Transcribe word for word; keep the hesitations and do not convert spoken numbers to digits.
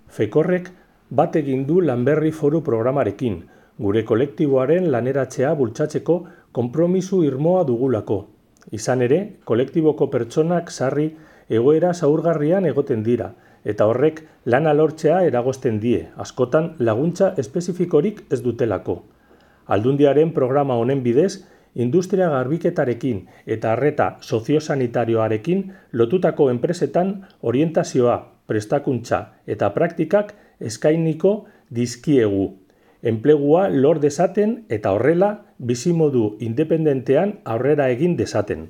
Fekorrek bat egin du Lanberri Foru programarekin, gure kolektiboaren laneratzea bultzatzeko konpromisu irmoa dugulako. Izan ere, kolektiboko pertsonak sarri egoera zaurgarrian egoten dira, eta horrek lana lortzea eragozten die, askotan laguntza espezifikorik ez dutelako. Aldundiaren programa honen bidez, industria garbiketarekin eta arreta soziosanitarioarekin lotutako enpresetan orientazioa, prestakuntza eta praktikak eskainiko dizkiegu. Enplegua lor dezaten eta horrela bizimodu independentean aurrera egin dezaten.